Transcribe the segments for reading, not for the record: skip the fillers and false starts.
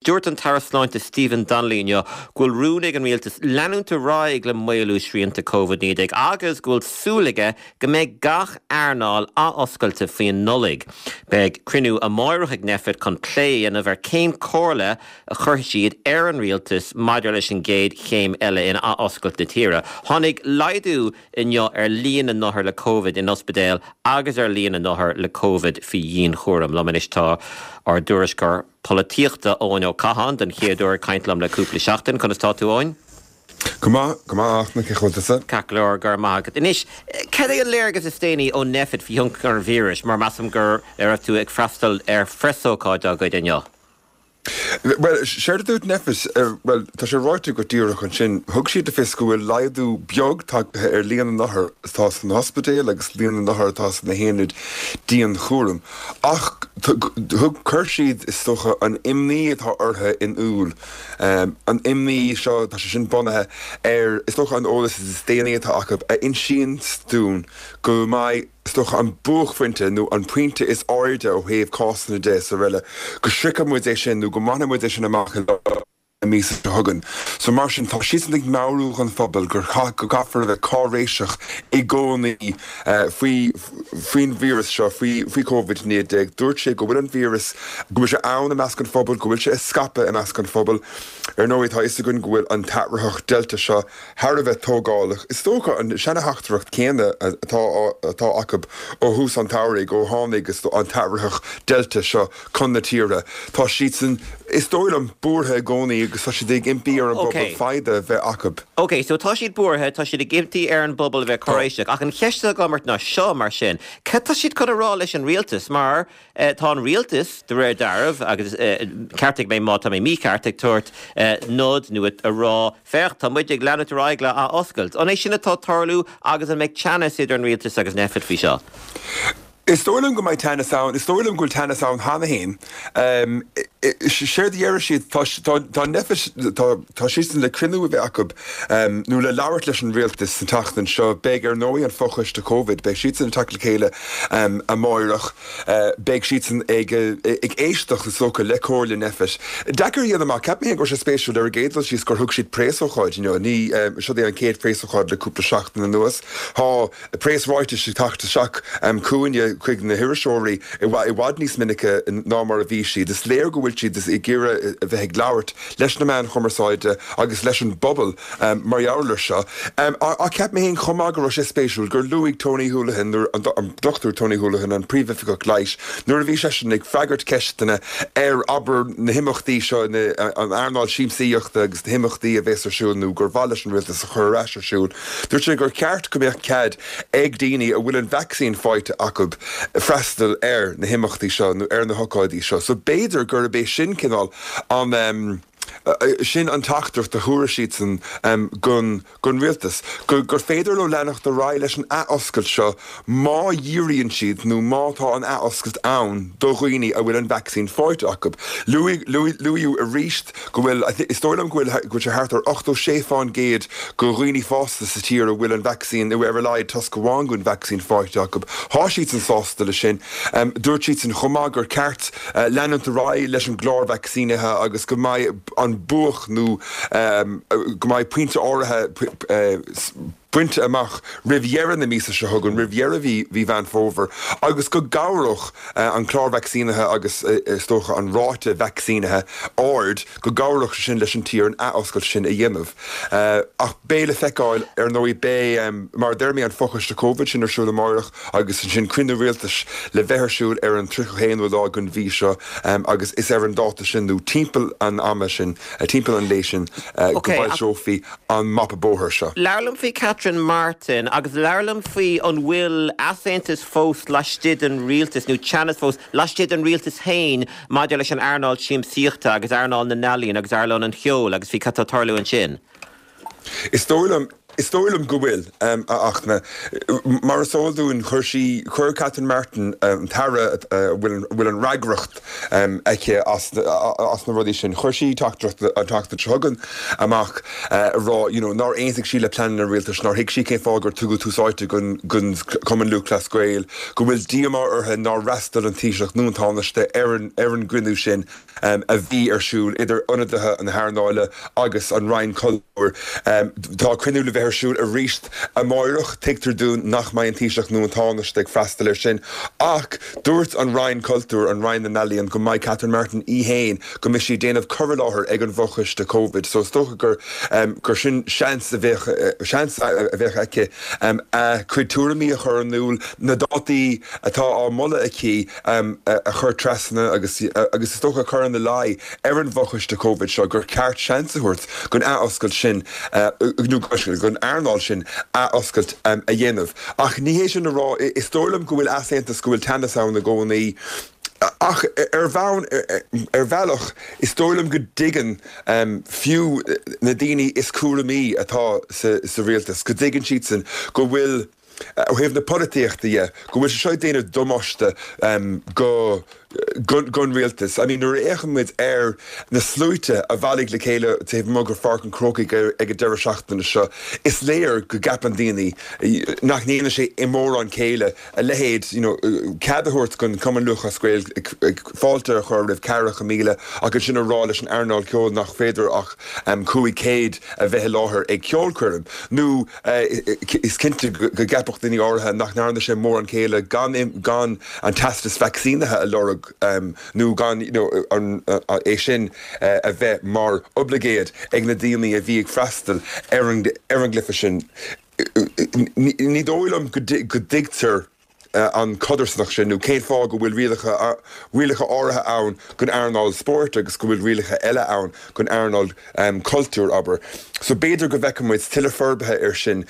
Dúirt an tAire Sláinte Stephen Donnelly inniu go bhfuil rún ag an rialtas leanúint ar aghaidh le maolú srianta Covid-19 agus go bhfuil súil aige go mbeidh gach earnáil athoscailte faoin Nollaig. Beidh cruinniú amáireach ag Nphet chun plé a dhéanamh ar cén comhairle a chuirfidh siad ar an rialtas maidir leis an gcéad chéim eile in athoscailt na tíre. Tháinig laghdú inniu ar líon na n-othar le Covid in ospidéil agus ar líon na n-othar le Covid faoi dhianchúram. Liom anois tá ár dtuairisceoir polaitíochta Eoin Ó Catháin, den chéad uair ag caint liom le cúpla seachtain. Conas tá tú, Eoin? Go maith, go maith, a Fhachtna, cén chaoi a bhfuil tusa? Ceart go leor, go raibh maith agat. Anois, cad é an léargas is déanaí ó Nphet faoi thionchar an víris, mar measaim go raibh tú ag freastal ar phreasócáid dá gcuid inniu? Bhuel, séard a dúirt Nphet, bhuel, tá sé ráite agat díreach ansin, thug siad le fios go bhfuil laghdú beag tagtha ar líon na n-othar atá sna hospidéil agus líon na n-othar atá sna haonaid dianchúraim. Ach thug, chuir siad, is dócha, an imní atá orthu in iúl. An imní seo, tá sé sin bunaithe ar, is dócha, an eolas is déanaí atá acu a insíonns dúinn go mbeidh, is dócha, an buaicphointe nó an pointe is airde ó thaobh cásanna de is araile, go sroichfidh muid é sin nó go mbainfidh muid é sin amach i lár na míosa seo chugainn. So mar sin, tá siadsan ag meabhrú don phobal gur go gcaithfear a bheith cáiréiseach i gcónaí faoi faoin víreas seo, faoi faoi Covid-19. Dúirt sé go bhfuil an víreas, go bhfuil sé ann i measc an phobail, go bhfuil sé ag scaipeadh i measc an phobail. Ar ndóigh, tá a fhios againn go bhfuil an t-athraitheach Delta seo thar a bheith tógálach. Is dócha an seana-theachtaireacht chéanna atá atá acu ó thús an tsamhraidh, ó tháinig an t-athraitheach Delta seo chun na tíre. Tá siadsan, is dóigh liom, buartha i gcónaí agus tá siad ag impí ar an bpobal foighde a bheith acu. Ok, so tá siad buartha, tá siad ag impí ar an bpobal a bheith cáiréiseach, ach an cheist atá agam ort ná seo, mar sin, cad tá siad chun a rá leis an rialtas? Mar Tá an rialtas, de réir dealraimh, agus ceartaigh mé má tá mé mícheart, ag tabhairt nod nó ag rá, féach, tá muid ag leanúint ar aghaidh le athoscailt. An é sin atá ag tarlú agus an mbeidh teannas idir an rialtas agus Nphet faoi seo? Is dóigh liom go mbeidh teannas ann. Is dóigh liom go bhfuil teannas ann cheana féin. Séard a déarfaidh siad, tá, tá Nphet, tá, tá siadsan le cruinniú a bheith acu nó le labhairt leis an rialtas an tseachtain seo. Beidh, ar ndóigh, an fochoiste Covid, beidh siadsan ag teacht le chéile amáireach. Beidh siadsan ag éisteacht, is dócha, le comhairle Nphet. Deacair a dhéanamh amach. Cheap mé féin go raibh sé spéisiúil ar an gcéad dul síos gur thug siad préasócáid inniu. Ní, seod é an chéad phréasócáid le cúpla seachtain anuas. Tá préasráitis ag teacht isteach chugainne, chuig na hiriseoirí, i bhfad níos minice ná mar a bhí siad. Is léir go bhfuil siad ag iarraidh a bheith ag labhairt leis na meáin chumarsáide agus leis an bpobal mar gheall air seo. Ach cheap mé féin chomh maith go raibh sé spéisiúil gur luaigh Tony Holohan, an Dr Tony Holohan, an Príomhoifigeach Leighis, nuair a bhí seisean ag freagairt ceisteanna ar, abair, na himeachtaí seo, an earnáil siamsaíochta agus na himeachtaí a bhéas ar siúl nó gur mhaith leis an rialtas a chur ar ais ar siúl, dúirt sé gur cheart go mbeadh cead ag daoine a bhfuil an vacsaín faighte acu freastal ar na himeachtaí seo nó ar na hocáidí seo. So b'fhéidir gurb é sin cineál an. Sin an teachtaireacht a thabharfaidh siadsan don rialtas, gur féidir leo leanacht ar aghaidh leis an athoscailt seo má dhíríonn siad nó má tá an athoscailt ann do dhaoine a bhfuil an vacsaín faighte acu. Luaíodh arís go bhfuil, is dóigh liom go bhfuil sé thart ar 86 fán gcéad de dhaoine fásta sa tír a bhfuil an vacsaín nó ar a laghad toisc amháin den vacsaín faighte acu. Tá siadsan sásta leis sin. Dúirt siadsan chomh maith gur ceart leanúint ar aghaidh leis an gclár vacsaínithe agus go mbeidh an buaic nó go mbeidh pointe áirithe bainte amach roimh dheireadh na míosa seo chugainn, roimh dheireadh mhí Mheán Fómhair, agus go gcabhródh an clár vacsaínithe agus is dócha an ráta vacsaínithe ard, go gcabhródh sé sin leis an tír an athoscailt sin a dhéanamh. Ach beidh le feiceáil, ar ndóigh, beidh, mar a deir mé, an fochoiste Covid sin ar siúl amáireach. Agus ansin cruinniú rialtais le bheith ar siúl ar an 31ú lá den mhí seo agus is ar an dáta sin nó timpeall an ama sin, timpeall an lae sin, go bhfoilseofaí an mapa bóthair seo. Labhair liom faoi Catherine Martin agus labhair liom faoi an bhfuil easaontas fós laistigh den rialtas nó teannas fós laistigh den rialtas féin maidir leis an earnáil siamsaíochta agus earnáil na n-ealaíon agus earnáil an cheoil agus faoi cad tá ag tarlú ansin. Is dóigh liom. Is dóigh liom go bhfuil, a Fhachtna. Mar is eol dúinn, chuir sí, chuir Catherine Martin, an tAire a bhfuil an fhreagracht aici as na rudaí sin, chuir sí teachtaireacht an tseachtain seo chugainn amach ag rá you know nár aontaigh sí le pleananna an rialtais, nár thuig sí cén fáth gur tugadh tús áite don Chumann Lúthchleas Gael, go bhfuil díomá uirthi nár fhreastail an Taoiseach nó an Tánaiste ar an gcruinniú sin. a bhí ar siúl idir ionadaithe na hearnála agus an Roinn Cultúir. Tá cruinniú le bheith ar siúl arís amáireach. Tuigtear dúinn nach mbeidh an Taoiseach nó an Tánaiste ag freastal air sin ach dúirt an Roinn Cultúir, an Roinn na nEalaíon, go mbeidh Catherine Martin í féin, go mbeidh sí ag déanamh cur i láthair ag an bhfochoiste Covid so is dócha gur gur sin seans a bheadh seans a bheadh aici a cuid tuairimí a chur in iúl, na dátaí atá á moladh aici. a chur trasna agus agus is dócha a chur ina luí ar an bhfochoiste Covid seo gur ceart seans a thabhairt don athoscailt sin nó don earnáil sin athoscailt a dhéanamh. Ach ní hé sin a rá, is dóigh liom go bhfuil easaontas, go bhfuil teannas ann i gcónaí ach ar bhonn, ar bhealach, is dóigh liom go dtuigeann fiú na daoine is cúramaí atá sa rialtas, go dtuigeann siadsan go bhfuil, ó thaobh na polaitíochta dhe, go bhfuil sé seo ag déanamh damáiste go don rialtas. I mean, nuair a fhéachann muid ar na sluaite a bhailigh le chéile taobh amuigh de Pháirc an Chrócaigh ag an deireadh seachtaine seo, is léir go gceapann daoine nach ndéanann sé mórán céille a leithéid, you know, cead a thabhairt don Chumann Lúthchleas Gael fáilte a chur roimh 40,000 ach ansin a rá leis an earnáil ceoil nach féidir ach 500 a bheith i láthair ag ceolchoirm nó Is cinnte go gceapfadh daoine áirithe nach ndearna sé mórán céille gan gan an teastas vacsaínithe a lorg nó gan é sin a bheith mar oibleagáid ag na daoine a bhí ag freastal ar an gcluiche sin. Ní dóigh liom go dtuigtear an chodarsnacht sin nó cén fáth go bhfuil rialacha rialacha áirithe ann don earnáil spóirt agus go bhfuil rialacha eile ann don earnáil cultúir, abair. So b'fhéidir go bhfeicfidh muid tuilleadh forbartha air sin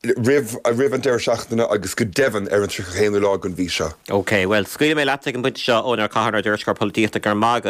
roimh roimh an deireadh seachtaine agus go deimhin ar an 31ú lá den mhí seo. OK, bhuel, scaoilfidh mé leat ag an bpointe seo, Eoin Ó Catháin, ár dtuairisceoir polaitíochta, go raibh maith agat.